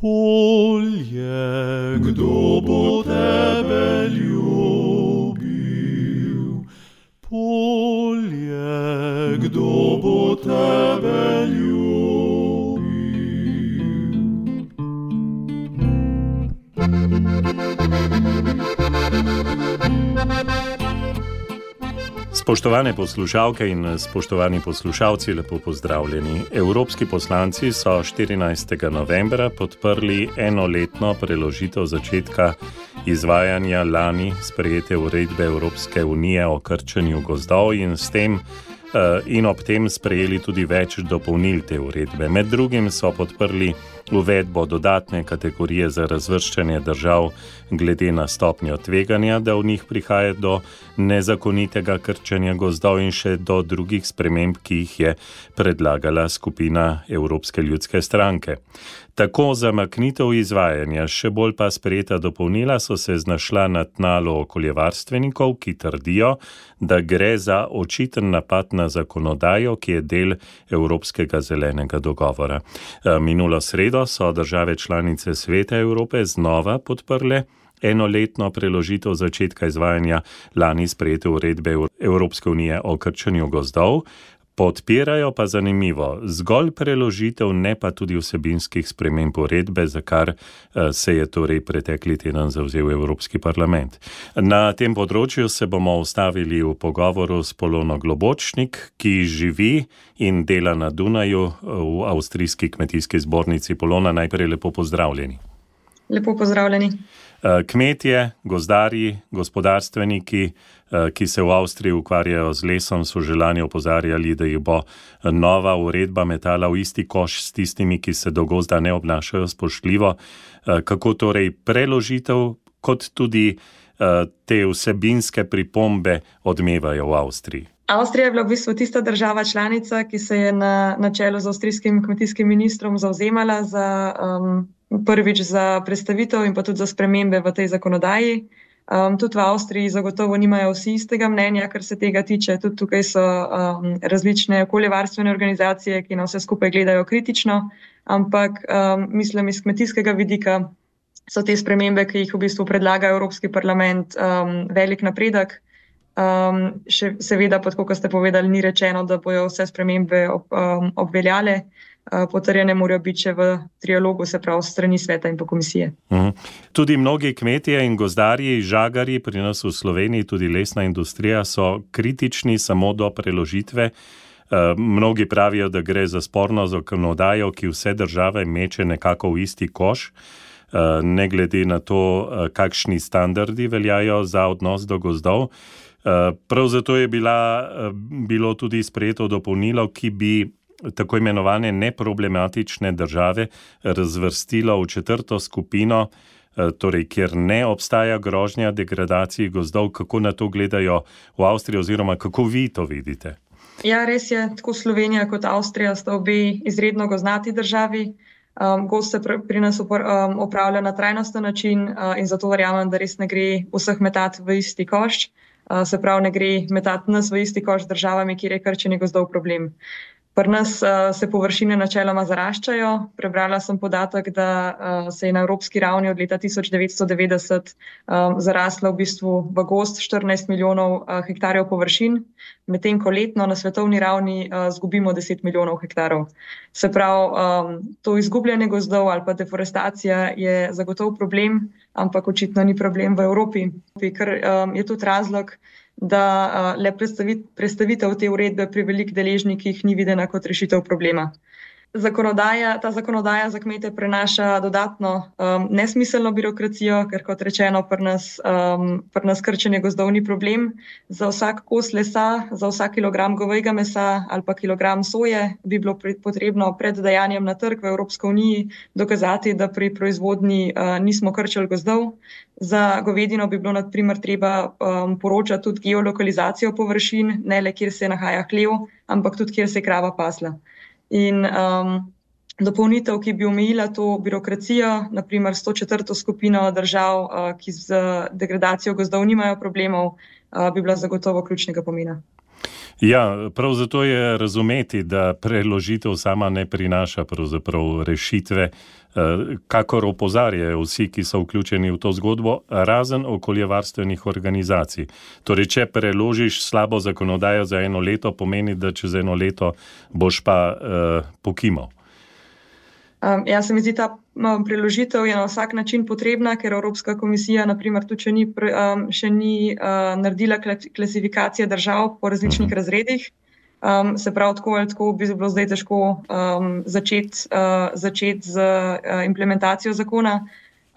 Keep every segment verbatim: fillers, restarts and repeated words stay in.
Polje, kdo bo tebe ljubil? Polje, kdo bo tebe ljubil? Spoštovane poslušalke in spoštovani poslušalci, lepo pozdravljeni. Evropski poslanci so štirinajstega novembra podprli enoletno preložitev začetka izvajanja lani sprejete uredbe Evropske unije o krčenju gozdov in s tem in ob tem sprejeli tudi več dopolnil te uredbe. Med drugim so podprli uvedbo dodatne kategorije za razvrščanje držav glede na stopnjo tveganja, da v njih prihaja do nezakonitega krčenja gozdov in še do drugih sprememb, ki jih je predlagala skupina Evropske ljudske stranke. Tako zamaknitev izvajanja, še bolj pa sprejeta dopolnila so se znašla na tnalu okoljevarstvenikov, ki trdijo, da gre za očiten napad na zakonodajo, ki je del Evropskega zelenega dogovora. Minulo sredo so države članice Sveta Evrope znova podprle enoletno preložitev začetka izvajanja lani sprejete uredbe Evropske unije o krčenju gozdov. Podpirajo pa zanimivo zgolj preložitev, ne pa tudi vsebinskih sprememb uredbe, za kar se je torej pretekli teden zavzel Evropski parlament. Na tem področju se bomo ustavili v pogovoru s Polono Globočnik, ki živi in dela na Dunaju v Avstrijski kmetijski zbornici. Polona, najprej lepo pozdravljeni. Lepo pozdravljeni. Kmetje, gozdarji, gospodarstveniki, ki se v Avstriji ukvarjajo z lesom, so že lani opozarjali, da jih bo nova uredba metala v isti koš s tistimi, ki se do gozda ne obnašajo spoštljivo. Kako torej preložitev, kot tudi te vsebinske pripombe odmevajo v Avstriji? Avstrija je bila v bistvu tista država članica, ki se je na, na čelu z avstrijskim kmetijskim ministrom zavzemala za um, prvič za predstavitev in pa tudi za spremembe v tej zakonodaji. Um, tudi v Avstriji zagotovo nimajo vsi istega mnenja, kar se tega tiče. Tudi tukaj so um, različne okoljevarstvene organizacije, ki na vse skupaj gledajo kritično, ampak um, mislim, iz kmetijskega vidika so te spremembe, ki jih v bistvu predlaga Evropski parlament, um, velik napredek. Um, še seveda, pod kot ste povedali, ni rečeno, da bojo vse spremembe ob, um, obveljale. Uh, potrjene morajo biti še v trialogu, se pravi strani sveta in pa komisije. Mhm. Tudi mnogi kmetje in gozdarji, žagarji pri nas v Sloveniji, tudi lesna industrija, so kritični samo do preložitve. Uh, mnogi pravijo, da gre za sporno zakonodajo, ki vse države meče nekako v isti koš, uh, ne glede na to, uh, kakšni standardi veljajo za odnos do gozdov. Prav zato je bila, bilo tudi sprejeto dopolnilo, ki bi tako imenovane neproblematične države razvrstilo v četrto skupino, torej kjer ne obstaja grožnja degradaciji gozdov. Kako na to gledajo v Avstriji oziroma kako vi to vidite? Ja, res je, tako Slovenija kot Avstrija sta obe izredno gozdnati državi. Um, gozd se pr- pri nas upor, um, upravlja na trajnosten način uh, in zato verjamem, da res ne gre vseh metati v isti koš. Uh, se pravi, ne gre metati nas v isti koš z državami, kjer je krčenje gozdov problem. Pri nas uh, se površine načeloma zaraščajo. Prebrala sem podatek, da uh, se je na evropski ravni od leta tisoč devetsto devetdeset um, zaraslo v bistvu v gozd štirinajst milijonov uh, hektarjev površin, medtem ko letno na svetovni ravni uh, zgubimo deset milijonov hektarov. Se pravi, um, to izgubljanje gozdov ali pa deforestacija je zagotovo problem, ampak očitno ni problem v Evropi, ker um, je tudi razlog, da uh, le predstavit, predstavitev te uredbe pri velik deležnikih ni videna kot rešitev problema. Zakonodaja, ta zakonodaja za kmete prenaša dodatno um, nesmiselno birokracijo, ker kot rečeno, pri nas, um, pri nas krčenje gozdov ni problem. Za vsak kos lesa, za vsak kilogram govejega mesa ali pa kilogram soje bi bilo potrebno pred dajanjem na trg v Evropsko uniji dokazati, da pri proizvodnji uh, nismo krčili gozdov. Za govedino bi bilo na primer treba um, poročati tudi geolokalizacijo površin, ne le kjer se nahaja hlev, ampak tudi kjer se je krava pasla. In um, dopolnitev, ki bi omejila to birokracijo, naprimer s to četrto skupino držav, uh, ki z degradacijo gozdov nimajo problemov, uh, bi bila zagotovo ključnega pomena. Ja, prav zato je razumeti, da preložitev sama ne prinaša pravzaprav rešitve, kakor opozarjajo vsi, ki so vključeni v to zgodbo, razen okoljevarstvenih organizacij. Torej, če preložiš slabo zakonodajo za eno leto, pomeni, da čez eno leto boš pa uh, pokimal. Um, ja, se mi zdi, ta um, preložitev je na vsak način potrebna, ker Evropska komisija, naprimer, tudi še ni, um, še ni uh, naredila klasifikacije držav po različnih uh-huh. razredih. Um, se pravi, tako ali tako bi bilo zdaj težko um, začeti uh, začet z uh, implementacijo zakona,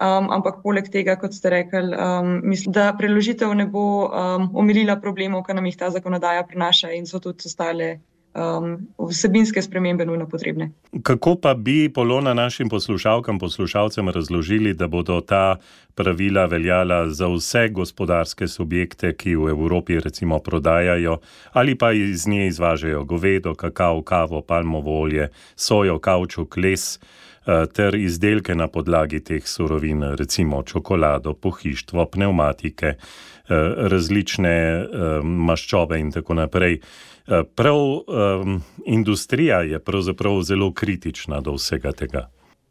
um, ampak poleg tega, kot ste rekli, um, mislim, da preložitev ne bo um, omilila problemov, ki nam jih ta zakonodaja prinaša in so tudi ostale Um, vsebinske spremembe nujno potrebne. Kako pa bi, Polona, našim poslušalkam, poslušalcem razložili, da bodo ta pravila veljala za vse gospodarske subjekte, ki v Evropi recimo prodajajo ali pa iz nje izvažajo govedo, kakao, kavo, palmovo olje, sojo, kavčuk, les ter izdelke na podlagi teh surovin, recimo čokolado, pohištvo, pnevmatike, različne maščobe in tako naprej. Prav um, industrija je pravzaprav zelo kritična do vsega tega.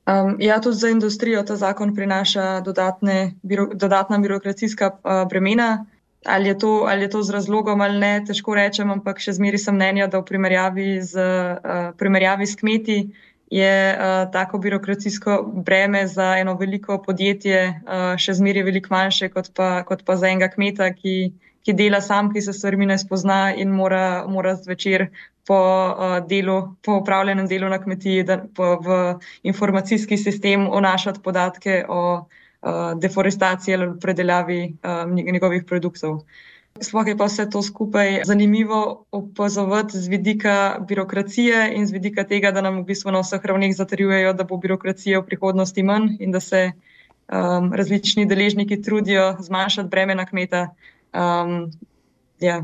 Um, ja, tudi za industrijo ta zakon prinaša dodatne, biro, dodatna birokracijska uh, bremena. Ali je, to, ali je to z razlogom ali ne, težko rečem, ampak še zmeri sem mnenja, da v primerjavi z, uh, primerjavi s kmeti je uh, tako birokracijsko breme za eno veliko podjetje uh, še zmeri veliko manjše kot pa, kot pa za enega kmeta, ki ki dela sam, ki se stvarmi ne spozna in mora, mora zvečer po uh, delu, po upravljenem delu na kmetiji, da po, v informacijski sistem vnašati podatke o uh, deforestaciji ali predelavi uh, njegovih produktov. Sploh je pa vse to skupaj zanimivo opazovati z vidika birokracije in z vidika tega, da nam v bistvu na vseh ravneh zatrjujejo, da bo birokracije v prihodnosti manj in da se um, različni deležniki trudijo zmanjšati breme na kmeta. Um, ja,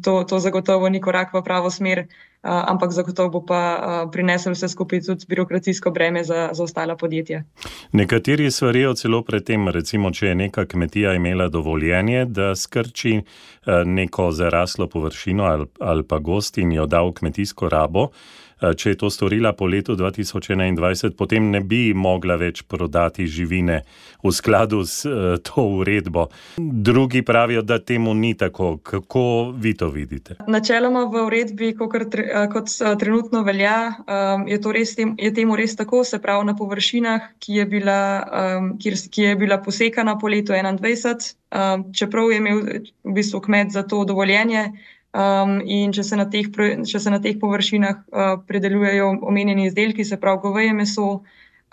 to, to zagotovo ni korak v pravo smer, uh, ampak zagotovo bo pa uh, prinesel vse skupaj tudi birokracijsko breme za, za ostala podjetja. Nekateri svarijo celo pred tem, recimo, če je neka kmetija imela dovoljenje, da skrči uh, neko zaraslo površino ali, ali pa gost in jo da v kmetijsko rabo. Če je to storila po letu dva tisoč enaindvajset, potem ne bi mogla več prodati živine v skladu s uh, to uredbo. Drugi pravijo, da temu ni tako. Kako vi to vidite? Načeloma v uredbi, kot, kot trenutno velja, um, je, to res tem, je temu res tako, se pravi na površinah, ki je bila, um, ki, ki je bila posekana po letu enaindvajset, um, čeprav je imel v bistvu kmet za to dovoljenje. Um, in če se na teh, če se na teh površinah uh, predelujejo omenjeni izdelki, se pravi goveje meso,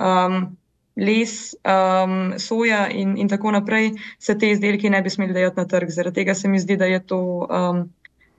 um, les, um, soja in, in tako naprej, se te izdelki ne bi smeli dajati na trg. Zaradi tega se mi zdi, da je to, um,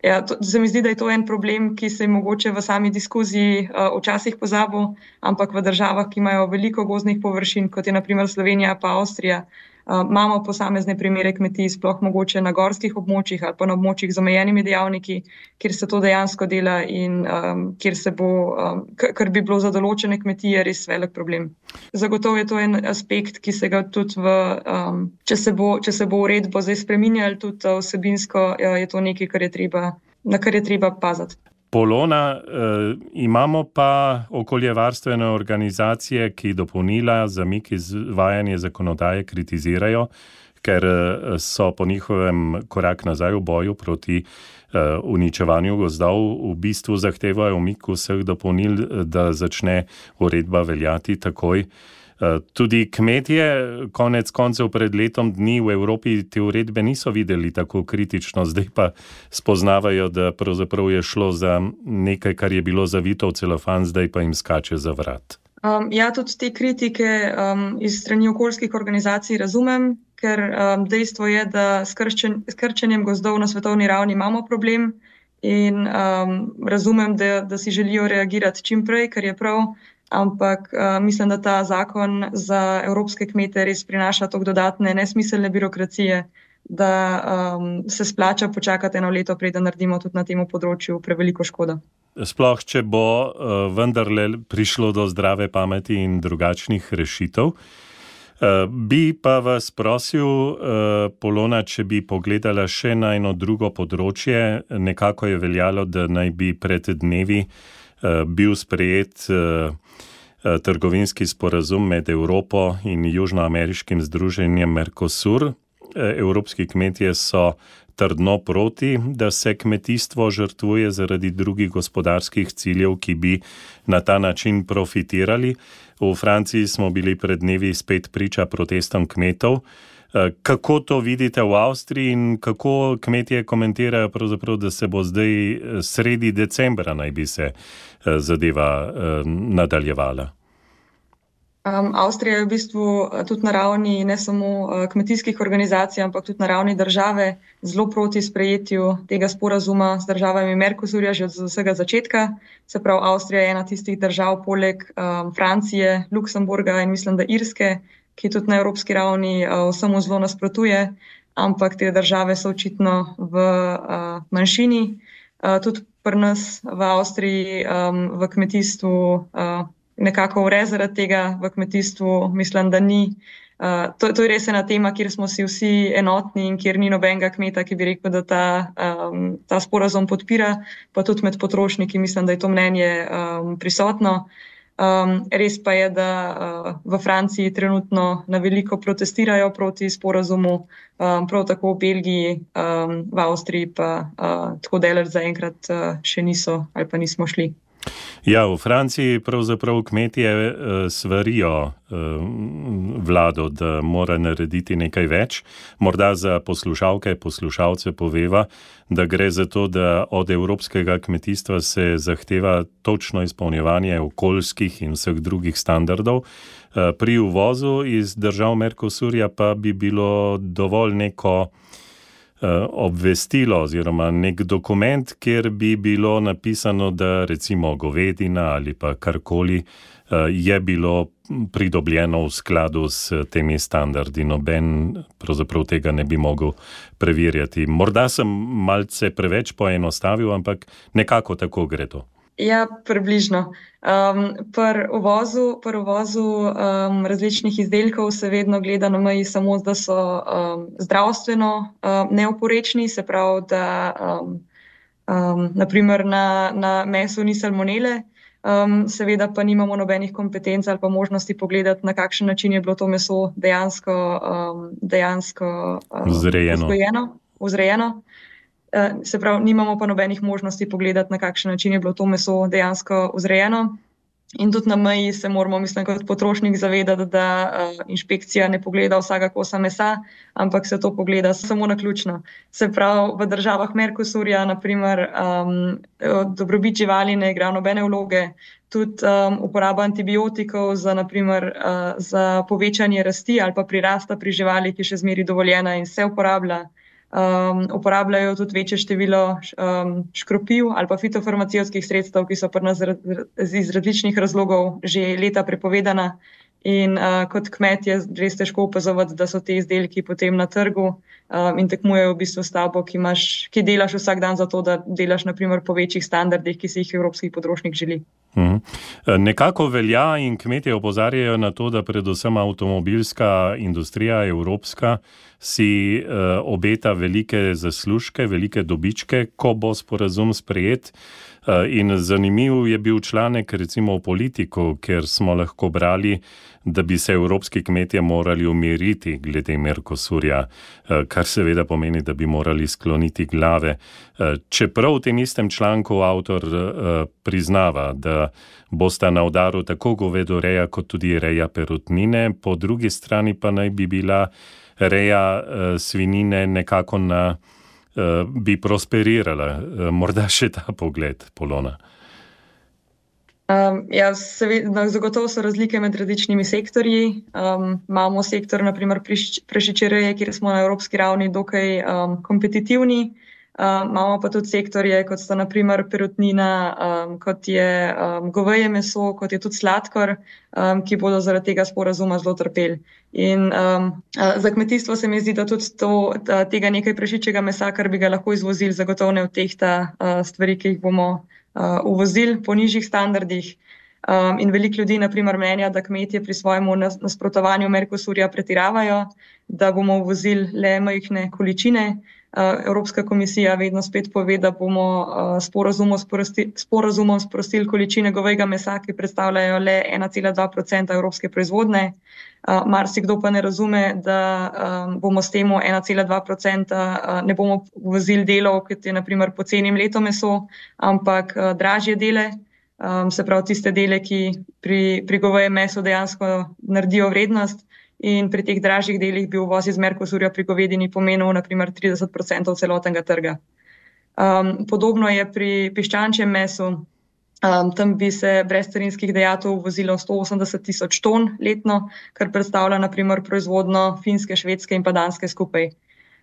ja, to, se mi zdi, da je to en problem, ki se je mogoče v sami diskuziji uh, včasih pozabil, ampak v državah, ki imajo veliko gozdnih površin, kot je na primer Slovenija pa Avstrija, Uh, imamo posamezne primere kmetij, sploh mogoče na gorskih območjih ali pa na območjih z omejenimi dejavniki, kjer se to dejansko dela in um, kjer se bo, um, kar bi bilo za določene kmetije res velik problem. Zagotovo je to en aspekt, ki se ga tudi v, um, če se bo, če se bo uredbo zdaj spreminjali, tudi vsebinsko, je to nekaj, kar je treba, na kar je treba paziti. Polona, eh, imamo pa okoljevarstvene organizacije, ki dopolnila zamik izvajanja zakonodaje kritizirajo, ker so po njihovem korak nazaj v boju proti eh, uničevanju gozdov, v bistvu zahtevajo umik vseh dopolnil, da začne uredba veljati takoj. Tudi kmetje, konec koncev pred letom dni v Evropi te uredbe niso videli tako kritično, zdaj pa spoznavajo, da pravzaprav je šlo za nekaj, kar je bilo zavito v celofan, zdaj pa jim skače za vrat. Um, ja, tudi te kritike um, iz strani okoljskih organizacij razumem, ker um, dejstvo je, da s krčen, s krčenjem gozdov na svetovni ravni imamo problem in um, razumem, da, da si želijo reagirati čim prej, kar je prav. Ampak uh, mislim, da ta zakon za evropske kmete res prinaša toliko dodatne nesmiselne birokracije, da um, se splača počakati eno leto, preden naredimo tudi na tem področju preveliko škodo. Sploh, če bo uh, vendarle prišlo do zdrave pameti in drugačnih rešitev. Uh, bi pa vas prosil, uh, Polona, če bi pogledala še na eno drugo področje. Nekako je veljalo, da naj bi pred dnevi uh, bil sprejet uh, uh, trgovinski sporazum med Evropo in južnoameriškim združenjem Mercosur. Uh, evropski kmetje so trdno proti, da se kmetijstvo žrtvuje zaradi drugih gospodarskih ciljev, ki bi na ta način profitirali. V Franciji smo bili pred dnevi spet priča protestom kmetov. Kako to vidite v Avstriji in kako kmetje komentirajo pravzaprav, da se bo zdaj sredi decembra naj bi se zadeva nadaljevala? Um, Avstrija je v bistvu tudi na ravni ne samo uh, kmetijskih organizacij, ampak tudi na ravni države zelo proti sprejetju tega sporazuma z državami Mercosurja že od vsega začetka. Se pravi, Avstrija je ena tistih držav poleg um, Francije, Luksemburga in mislim, da Irske, ki tudi na evropski ravni uh, vsemu zelo nasprotuje, ampak te države so očitno v uh, manjšini. Uh, tudi pri nas v Avstriji um, v kmetijstvu uh, nekako vre zaradi tega, v kmetijstvu mislim, da ni. Uh, to, to je res ena tema, kjer smo si vsi enotni in kjer ni nobenega kmeta, ki bi rekel, da ta, um, ta sporazum podpira, pa tudi med potrošniki mislim, da je to mnenje um, prisotno. Um, res pa je, da uh, v Franciji trenutno na veliko protestirajo proti sporazumu, um, prav tako v Belgiji, um, v Avstriji pa uh, tako daleč zaenkrat uh, še niso ali pa nismo šli. Ja, v Franciji pravzaprav kmetje uh, svarijo uh, vlado, da mora narediti nekaj več. Morda za poslušalke, poslušalce poveva, da gre za to, da od evropskega kmetijstva se zahteva točno izpolnjevanje okoljskih in vseh drugih standardov. Uh, pri uvozu iz držav Mercosurja pa bi bilo dovolj neko obvestilo oziroma nek dokument, kjer bi bilo napisano, da recimo govedina ali pa karkoli je bilo pridobljeno v skladu s temi standardi. Noben pravzaprav tega ne bi mogel preverjati. Morda sem malce preveč poenostavil, ampak nekako tako gre to. Ja, približno. Um, pri uvozu, pri uvozu um, različnih izdelkov se vedno gleda na meji samo, da so um, zdravstveno um, neoporečni, se pravi, da um, um, naprimer na, na mesu ni salmonele, um, seveda pa nimamo nobenih kompetenc ali pa možnosti pogledati, na kakšen način je bilo to meso dejansko, um, dejansko um, vzgojeno, vzrejeno. Se pravi, nimamo pa nobenih možnosti pogledati, na kakšen način je bilo to meso dejansko vzrejeno. In tudi na meji se moramo, mislim, kot potrošnik zavedati, da uh, inšpekcija ne pogleda vsega kosa mesa, ampak se to pogleda samo naključno. Se pravi, v državah Mercosurja, naprimer, um, dobrobit živali ne igra nobene vloge, tudi um, uporaba antibiotikov za, naprimer, uh, za povečanje rasti ali pa prirasta pri živali, ki še zmeri dovoljena in se uporablja. Um, uporabljajo tudi večje število um, škropiv ali pa fitofarmacijskih sredstev, ki so pri nas iz različnih razlogov že leta prepovedana. In uh, kot kmet je res težko opazovati, da so te izdelki potem na trgu um, in tekmujejo v bistvu s tabo, ki, imaš, ki delaš vsak dan za to, da delaš naprimer po večjih standardih, ki si jih evropski potrošnik želi. Hmm. Nekako velja in kmetje opozarjajo na to, da predvsem avtomobilska industrija evropska si uh, obeta velike zaslužke, velike dobičke, ko bo sporazum sprejet. Uh, in zanimiv je bil članek recimo v Politiku, ker smo lahko brali, da bi se evropski kmetje morali umiriti glede Mercosurja, uh, kar seveda pomeni, da bi morali skloniti glave. Uh, čeprav v tem istem članku avtor uh, priznava, da bosta na udaru tako govedoreja kot tudi reja perutnine, po drugi strani pa naj bi bila reja uh, svinine nekako na, uh, bi prosperirala. Uh, morda še ta pogled, Polona. Um, ja, seveda, zagotovo so razlike med različnimi sektorji. Um, imamo sektor, naprimer prašičereje, kjer smo na evropski ravni dokaj um, kompetitivni. Um, imamo pa tudi sektorje, kot sta naprimer perutnina, um, kot je um, goveje meso, kot je tudi sladkor, um, ki bodo zaradi tega sporazuma zelo trpeli. In um, za kmetijstvo se mi zdi, da tudi to, da tega nekaj prašičjega mesa, kar bi ga lahko izvozili, zagotovo ne odtehta uh, stvari, ki jih bomo uh, uvozili po nižjih standardih. Um, in veliko ljudi naprimer menja, da kmetje pri svojemu nasprotovanju Mercosurja pretiravajo, da bomo uvozili le majhne količine. Uh, Evropska komisija vedno spet pove, da bomo uh, sporazumom, sprosti, sporazumom sprostili količine govejega mesa, ki predstavljajo le ena cela dva procenta evropske proizvodne. Uh, marsikdo pa ne razume, da um, bomo s temu ena cela dva procenta uh, ne bomo uvozili delov, kot je naprimer poceni mleto meso, ampak uh, dražje dele. Um, se pravi tiste dele, ki pri, pri govejem mesu dejansko naredijo vrednost, in pri teh dražjih delih bi uvoz iz Mercosurja pri govedini pomenil naprimer trideset procentov celotnega trga. Um, podobno je pri piščančjem mesu, um, tam bi se brez carinskih dajatev uvozilo sto osemdeset tisoč ton letno, kar predstavlja naprimer proizvodno Finske, Švedske in pa Danske skupaj.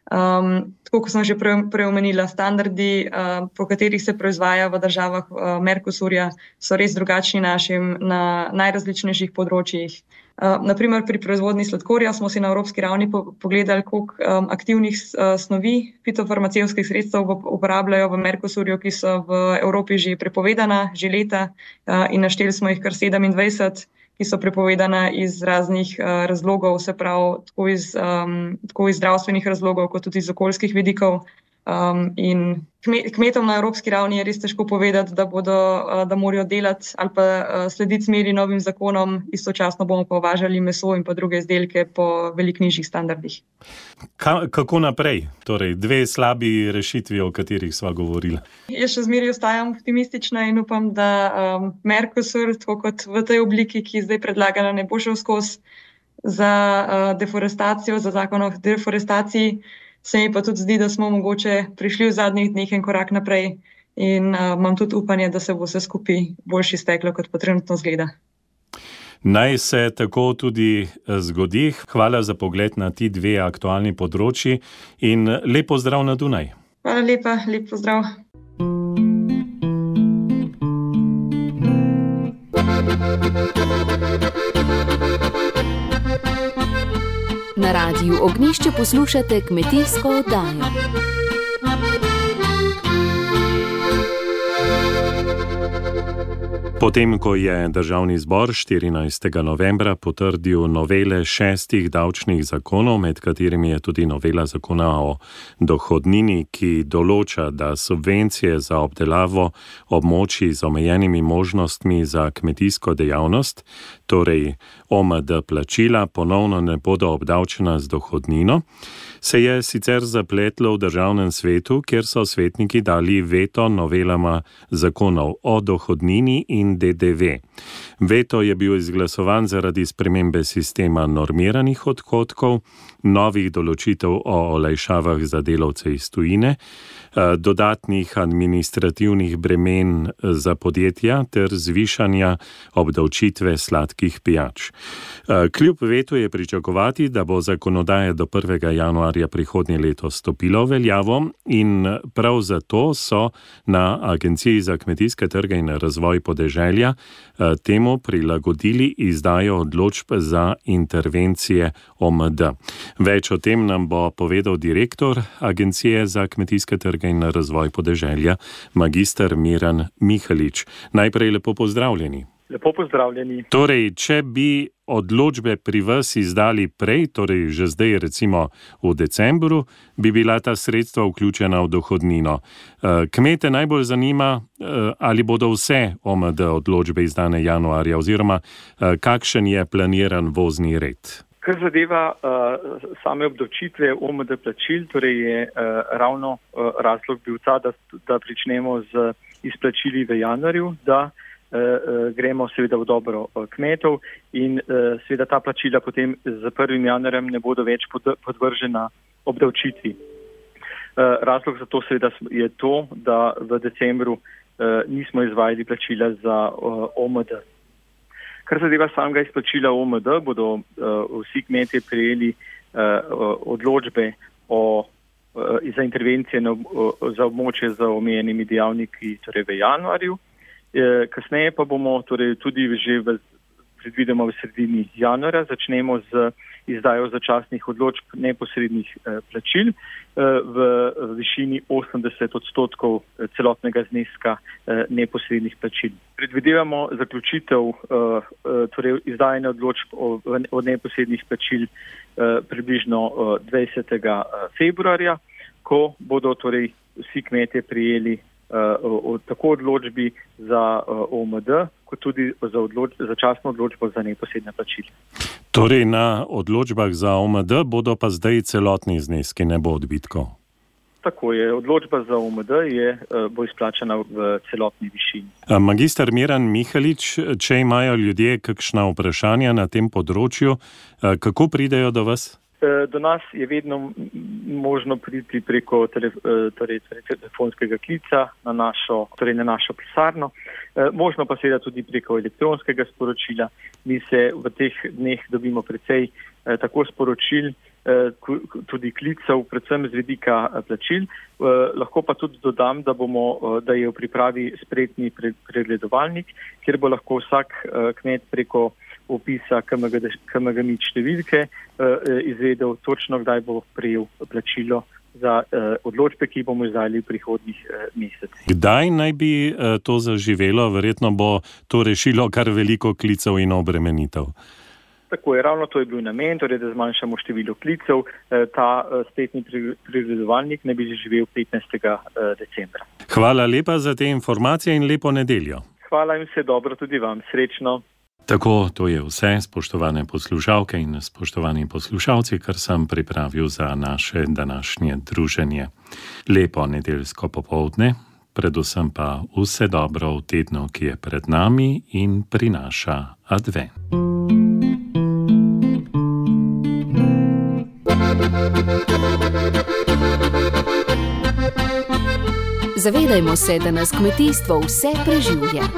Um, tako kot sem že prej pre omenila, standardi, uh, po katerih se proizvaja v državah uh, Mercosurja, so res drugačni našim na najrazličnejših področjih. Uh, naprimer pri proizvodnji sladkorja smo si na evropski ravni po pogledali, koliko um, aktivnih uh, snovi fitofarmacevtskih sredstev uporabljajo v Mercosurju, ki so v Evropi že prepovedana, že leta, uh, in našteli smo jih kar sedemindvajset, ki so prepovedana iz raznih uh, razlogov, se pravi tako iz, um, tako iz zdravstvenih razlogov, kot tudi iz okoljskih vidikov. Um, in kmetom na evropski ravni je res težko povedati, da bodo, uh, da morajo delati ali pa uh, slediti smeri novim zakonom, istočasno bomo pa uvažali meso in pa druge izdelke po veliko nižjih standardih. Ka, kako naprej? Torej, dve slabi rešitvi, o katerih sva govorila. Jaz še zmeraj ostajam optimistična in upam, da um, Mercosur, tako kot v tej obliki, ki je zdaj predlagana, ne bo šel skozi za uh, deforestacijo, za zakon o deforestaciji. Se mi pa tudi zdi, da smo mogoče prišli v zadnjih dneh en korak naprej in uh, imam tudi upanje, da se bo vse skupaj boljši steklo, kot pa trenutno zgleda. Naj se tako tudi zgodi. Hvala za pogled na ti dve aktualni področji in lep pozdrav na Dunaj. Hvala lepa, lep pozdrav. Na Radiu Ognjišče poslušate kmetijsko oddajo. Potem, ko je Državni zbor štirinajstega novembra potrdil novele šestih davčnih zakonov, med katerimi je tudi novela zakona o dohodnini, ki določa, da subvencije za obdelavo območij z omejenimi možnostmi za kmetijsko dejavnost, torej O M D plačila, ponovno ne bodo obdavčena z dohodnino, se je sicer zapletlo v Državnem svetu, kjer so svetniki dali veto novelama zakonov o dohodnini in D D V. Veto je bil izglasovan zaradi spremembe sistema normiranih odhodkov, novih določitev o olajšavah za delavce iz tujine, dodatnih administrativnih bremen za podjetja ter zvišanja obdavčitve sladkih pijač. Kljub vetu je pričakovati, da bo zakonodaja do prvega januarja prihodnje leto stopila v veljavo in prav zato so na Agenciji za kmetijske trge in razvoj podeželja temu prilagodili izdajo odločb za intervencije O M D. Več o tem nam bo povedal direktor Agencije za kmetijske trge in razvoj podeželja, magister Miran Mihalič. Najprej lepo pozdravljeni. Lepo pozdravljeni. Torej, če bi odločbe pri vas izdali prej, torej že zdaj recimo v decembru, bi bila ta sredstva vključena v dohodnino. Kmete najbolj zanima, ali bodo vse O M D odločbe izdane januarja oziroma kakšen je planiran vozni red. Kar zadeva uh, same obdavčitve O M D plačil, torej je uh, ravno uh, razlog bil ta, da, da pričnemo z izplačili v januarju, da uh, gremo seveda v dobro uh, kmetov in uh, seveda ta plačila potem z prvim januarjem ne bodo več pod, podvržena obdavčitvi. Uh, razlog za to seveda je to, da v decembru uh, nismo izvajali plačila za uh, O M D. Kar zadeva samega izplačila O M D, bodo uh, vsi kmetje prejeli uh, odločbe o, uh, za intervencije na, uh, za območje z omejenimi dejavniki torej v januarju. Uh, kasneje pa bomo torej tudi že v, predvidoma v sredini januarja začnemo z izdajo začasnih odločb neposrednih plačil v višini osemdeset odstotkov celotnega zneska neposrednih plačil. Predvidevamo zaključitev torej izdajanja odločb o neposrednih plačil približno dvajsetega februarja, ko bodo torej vsi kmetje prijeli uh, tako odločbi za uh, O M D, kot tudi za odloč, začasno odločbo za neposredne plačila. Torej na odločbah za O M D bodo pa zdaj celotni zneski, ne bo odbitkov. Tako je, odločba za O M D je, bo izplačana v celotni višini. Magister Miran Mihalič, če imajo ljudje kakšna vprašanja na tem področju, kako pridejo do vas? Do nas je vedno možno priti preko telef- torej, torej, telefonskega klica na našo, torej na našo pisarno. Možno pa seveda tudi preko elektronskega sporočila. Mi se v teh dneh dobimo precej tako sporočil, tudi klicev, predvsem z vidika plačil. Lahko pa tudi dodam, da, bomo, da je v pripravi spretni pregledovalnik, kjer bo lahko vsak kmet preko opisa K M G M I številke izvedel točno, kdaj bo prejel plačilo za odločbe, ki bomo izdali v prihodnjih mesecih. Kdaj naj bi to zaživelo? Verjetno bo to rešilo kar veliko klicev in obremenitev. Tako je, ravno to je bil namen, torej da zmanjšamo število klicev. Ta spletni pregledovalnik ne bi zaživel petnajstega decembra. Hvala lepa za te informacije in lepo nedeljo. Hvala in vse dobro tudi vam. Srečno. Tako, to je vse, spoštovane poslušalke in spoštovani poslušalci, kar sem pripravil za naše današnje druženje. Lepo nedeljsko popoldne, predvsem pa vse dobro v tednu, ki je pred nami in prinaša advent. Zavedajmo se, da nas kmetijstvo vse preživlja.